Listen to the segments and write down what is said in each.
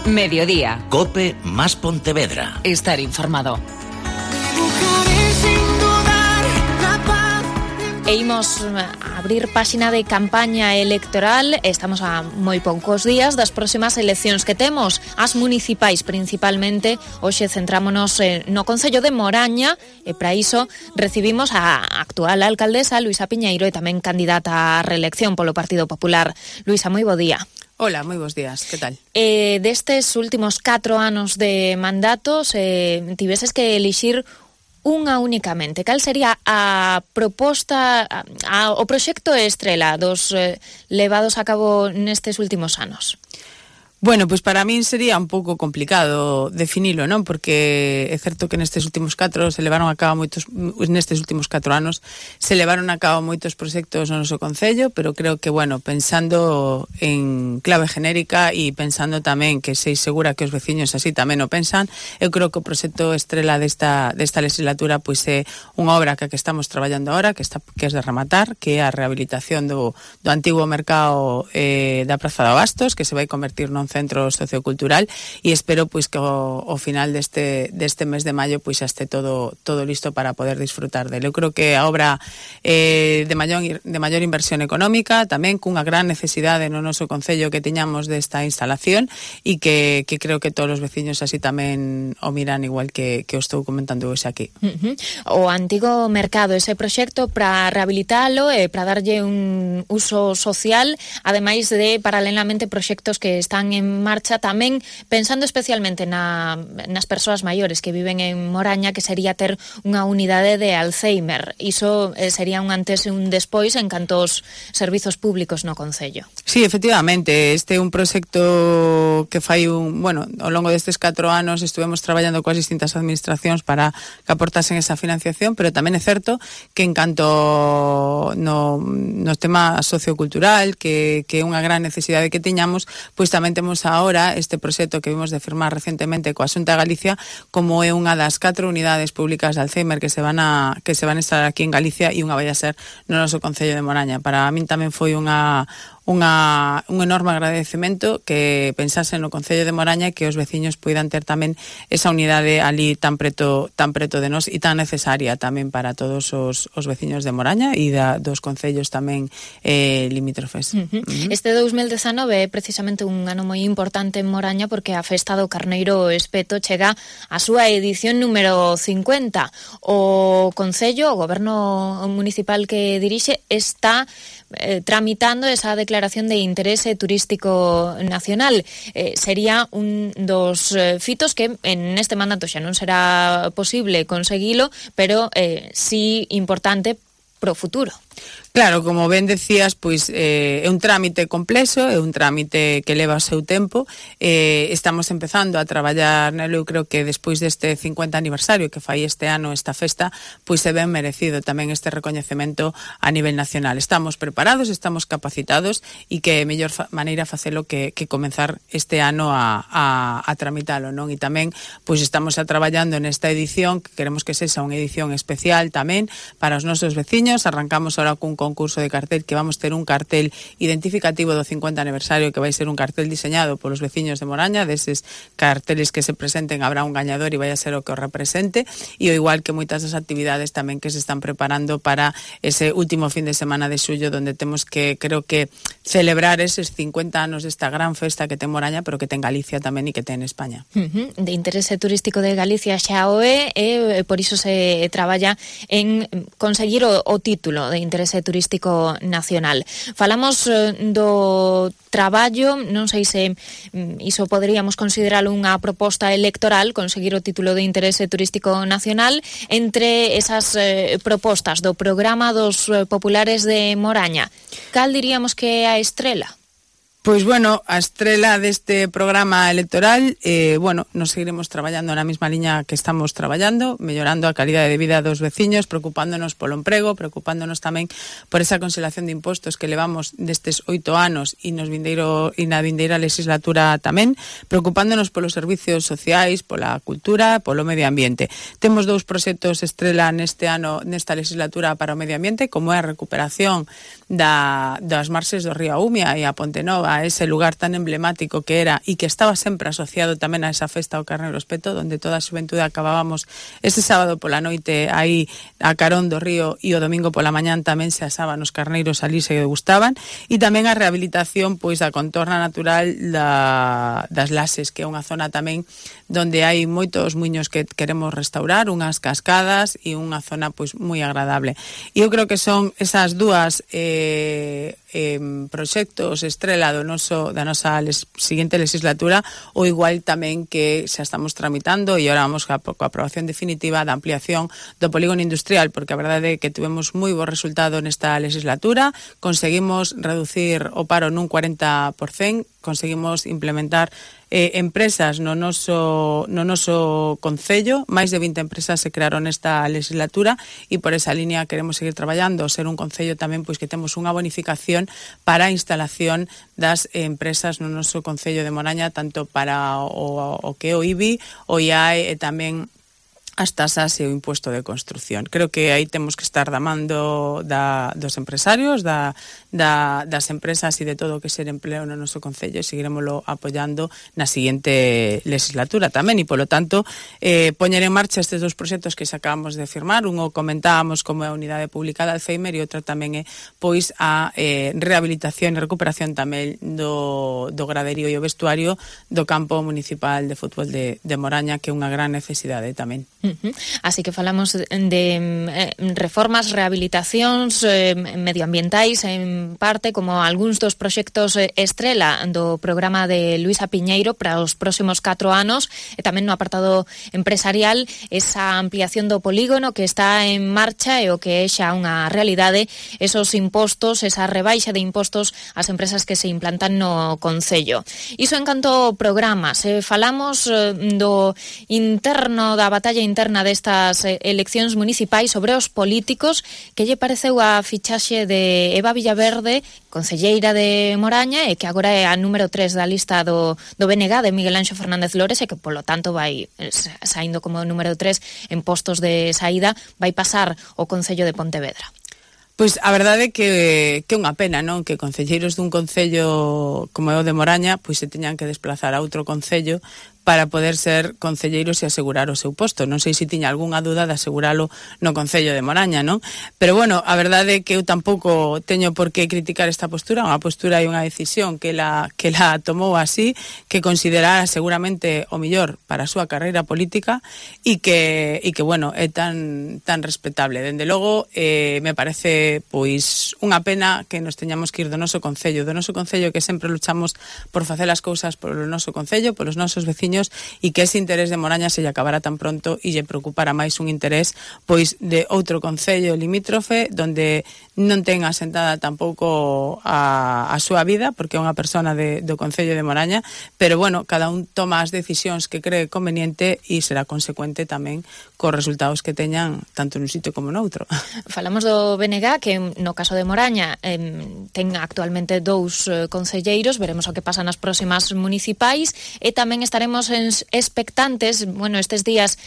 Mediodía. COPE más Pontevedra. Estar informado. E imos abrir páxina de campaña electoral. Estamos a moi poucos días das próximas eleccións que temos, as municipais principalmente. Hoxe centrámonos no Concello de Moraña e para iso recibimos a actual alcaldesa Luisa Piñeiro e tamén candidata á reelección polo Partido Popular. Luisa, moi bo día. Hola, moi bons días, que tal? Destes últimos 4 anos de mandatos, tiveses que elixir unha únicamente. Cal sería a proposta, o proxecto estrela dos levados a cabo nestes últimos anos? Bueno, pois para min sería un pouco complicado definilo, non? Porque é certo que nestes últimos 4 anos se levaron a cabo moitos proxectos no noso concello, pero creo que, bueno, pensando en clave genérica e pensando tamén que sei segura que os veciños así tamén o pensan, eu creo que o proxecto estrela desta legislatura pois é unha obra que estamos traballando agora, que é de rematar, que é a rehabilitación do antigo mercado da Praza de Abastos, que se vai convertir non centro sociocultural, e espero pois que ao final deste mes de maio pois xa este todo listo para poder disfrutar dele. Eu creo que a obra de maior inversión económica, tamén cunha gran necesidade no noso concello que tiñamos desta instalación, e que creo que todos os veciños así tamén o miran igual que o estou comentando hoxe aquí. O antigo mercado, ese proxecto para rehabilitalo e para darlle un uso social, ademais de paralelamente proxectos que están en marcha tamén pensando especialmente nas persoas maiores que viven en Moraña, que sería ter unha unidade de Alzheimer. Iso sería un antes e un despois en canto aos servizos públicos no concello. Sí, efectivamente, este é un proxecto que fai ao longo destes 4 anos estuvemos traballando coas distintas administracións para que aportasen esa financiación, pero tamén é certo que en canto no tema sociocultural, que é unha gran necesidade que tiñamos, pois tamén temos ahora este proxecto que vimos de firmar recientemente coa Xunta de Galicia, como é unha das 4 unidades públicas de Alzheimer que se van a estar aquí en Galicia, e unha vai a ser no noso Concello de Moraña. Para min tamén foi un enorme agradecemento que pensasen no Concello de Moraña, que os veciños poidan ter tamén esa unidade ali tan preto de nós e tan necesaria tamén para todos os veciños de Moraña e dos concellos tamén limítrofes. Este 2019 é precisamente un ano moi importante en Moraña porque a festa do Carneiro Espeto chega a súa edición número 50. O Concello, o Goberno Municipal que dirixe, está tramitando esa declaración de interese turístico nacional. Sería un dos fitos que en este mandato xa non será posible conseguilo, pero sí importante pro futuro. Claro, como ben decías, pois é un trámite complexo, é un trámite que leva o seu tempo. Estamos empezando a traballar nelo. Eu creo que despois deste 50 aniversario que fai este ano esta festa, pois é ben merecido tamén este recoñecemento a nivel nacional. Estamos preparados, estamos capacitados, e que mellor maneira facelo que comenzar este ano a tramitalo, non? E tamén pois estamos traballando nesta edición, que queremos que sexa unha edición especial tamén para os nosos veciños. Arrancamos ahora cun concurso de cartel, que vamos ter un cartel identificativo do 50 aniversario, que vai ser un cartel diseñado polos veciños de Moraña. Deses carteles que se presenten habrá un gañador e vai a ser o que o represente, e ao igual que moitas das actividades tamén que se están preparando para ese último fin de semana de xullo, donde temos que, creo que, celebrar eses 50 anos desta gran festa que ten Moraña, pero que ten Galicia tamén e que ten España. De interese turístico de Galicia xa o é, e por iso se traballa en conseguir o título de interese turístico nacional. Falamos do traballo, non sei se iso poderíamos consideralo unha proposta electoral, conseguir o título de interese turístico nacional. Entre esas propostas do programa dos populares de Moraña, cal diríamos que é a estrela? Pois, bueno, a estrela deste programa electoral, nos seguiremos traballando na mesma liña que estamos traballando, mellorando a calidade de vida dos veciños, preocupándonos polo emprego, preocupándonos tamén por esa conxelación de impostos que levamos destes 8 anos e na vindeira legislatura tamén, preocupándonos polos servicios sociais, pola cultura, polo medio ambiente. Temos 2 proxectos estrela neste ano, nesta legislatura, para o medio ambiente, como é a recuperación das marxes do río Aumia e a Ponte Nova a ese lugar tan emblemático que era e que estaba sempre asociado tamén a esa festa ao Carneiro Espeto, donde toda a xuventude acabábamos ese sábado pola noite aí a carón do río e o domingo pola mañán tamén se asaban os carneiros ali, se gustaban, e tamén a rehabilitación pois da contorna natural das Lases, que é unha zona tamén donde hai moitos muiños que queremos restaurar, unhas cascadas e unha zona pois moi agradable. E eu creo que son esas dúas proxectos estrela da nosa seguinte legislatura, ou igual tamén que xa estamos tramitando e ahora vamos coa aprobación definitiva da ampliación do polígono industrial, porque a verdade é que tivemos moi bo resultado nesta legislatura, conseguimos reducir o paro nun 40%, conseguimos implementar empresas no noso concello, máis de 20 empresas se crearon nesta legislatura e por esa línea queremos seguir traballando, ser un concello tamén pois que temos unha bonificación para a instalación das empresas no noso concello de Moraña, tanto para o que é o IBI, o IAE e tamén as tasas e o impuesto de construción. Creo que aí temos que estar da man dos empresarios, das empresas e de todo o que ser empleo no noso concello, e seguiremoslo apoiando na seguinte legislatura tamén, e polo tanto poñer en marcha estes dos proxectos que acabamos de firmar. Unho comentábamos como é a unidade pública de Alzheimer e outra tamén é pois a rehabilitación e recuperación tamén do graderío e o vestuario do campo municipal de fútbol de Moraña, que é unha gran necesidade tamén. Así que falamos de reformas, rehabilitacións medioambientais en parte, como algúns dos proxectos estrela do programa de Luisa Piñeiro para os próximos 4 anos, e tamén no apartado empresarial esa ampliación do polígono que está en marcha e o que é xa unha realidade, esos impostos, esa rebaixa de impostos ás empresas que se implantan no concello. Iso en canto programas, falamos do interno, da batalla interna destas eleccións municipais sobre os políticos. Que lle pareceu a fichaxe de Eva Villaverde, concelleira de Moraña, e que agora é a número 3 da lista do BNG de Miguel Anxo Fernández Lores, e que polo tanto vai saindo como número 3 en postos de saída, vai pasar o Concello de Pontevedra? Pois a verdade é que é unha pena, non? Que concelleiros dun concello como é o de Moraña pois se teñan que desplazar a outro concello para poder ser concelleiros e asegurar o seu posto. Non sei se tiña algunha duda de aseguralo no Concello de Moraña, non? Pero bueno, a verdade é que eu tampouco teño por que criticar esta postura, unha postura e unha decisión que la tomou así, que considerara seguramente o mellor para a súa carreira política e que bueno, é tan respetable. Dende logo, me parece pois unha pena que nos teñamos que ir do noso concello que sempre luchamos por facer as cousas polo noso concello, polos nosos veciños, e que ese interés de Moraña se lle acabara tan pronto e lle preocupara máis un interés pois de outro concello limítrofe donde non ten asentada tampouco a súa vida, porque é unha persona do concello de Moraña, pero bueno, cada un toma as decisións que cree conveniente e será consecuente tamén cos resultados que teñan tanto nun sitio como noutro. Falamos do BNG, que no caso de Moraña ten actualmente 2 concelleiros, veremos o que pasa nas próximas municipais, e tamén estaremos expectantes. Bueno, estes días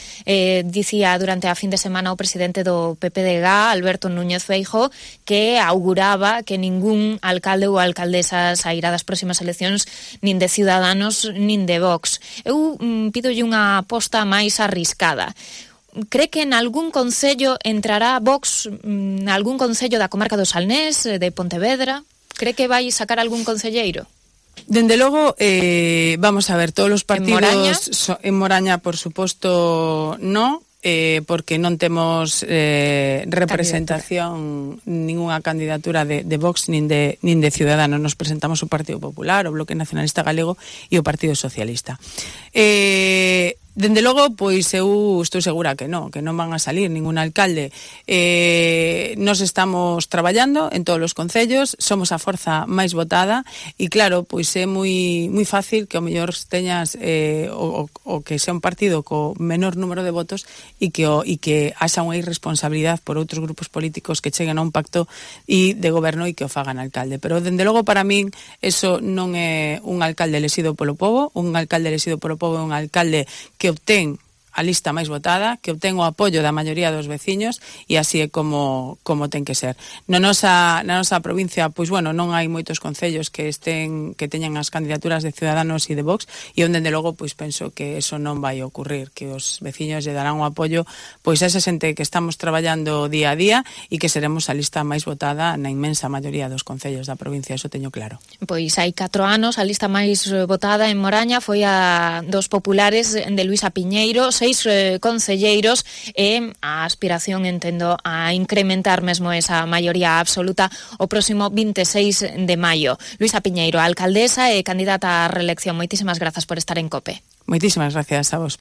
dicía durante a fin de semana o presidente do PPDG, Alberto Núñez Feijóo, que auguraba que ningún alcalde ou alcaldesa sairá das próximas eleccións nin de Ciudadanos nin de Vox. Eu pidolle unha aposta máis arriscada. Cree que en algún concello entrará Vox, algún concello da comarca do Salnés, de Pontevedra? Cree que vai sacar algún concelleiro? Dende logo, vamos a ver, todos os partidos en Moraña, por suposto, no, porque non temos representación, ninguna candidatura de Vox nin de Ciudadanos. Nos presentamos o Partido Popular, o Bloque Nacionalista Galego e o Partido Socialista. Dende logo, pois eu estou segura que non van a salir ningún alcalde. Nos estamos traballando en todos os concellos, somos a forza máis votada e claro, pois é moi fácil que ao mellor teñas o que sea un partido co menor número de votos e que haxa unha irresponsabilidade por outros grupos políticos que cheguen a un pacto e de goberno e que o fagan alcalde. Pero dende logo para min eso non é un alcalde elexido polo pobo. Un alcalde elexido polo pobo é un alcalde que obtén a lista máis votada, que obtén o apoio da maioría dos veciños, e así é como ten que ser. Na nosa provincia, pois bueno, non hai moitos concellos que teñan as candidaturas de Ciudadanos e de Vox, e onde, de logo, pois penso que eso non vai ocurrir, que os veciños lle darán o apoio pois a esa xente que estamos traballando día a día e que seremos a lista máis votada na inmensa maioría dos concellos da provincia, eso teño claro. Pois hai 4 anos a lista máis votada en Moraña foi a dos populares de Luisa Piñeiro, 6 concelleiros, e a aspiración, entendo, a incrementar mesmo esa maioría absoluta o próximo 26 de maio. Luisa Piñeiro, alcaldesa e candidata á reelección, moitísimas grazas por estar en COPE. Moitísimas gracias a vos.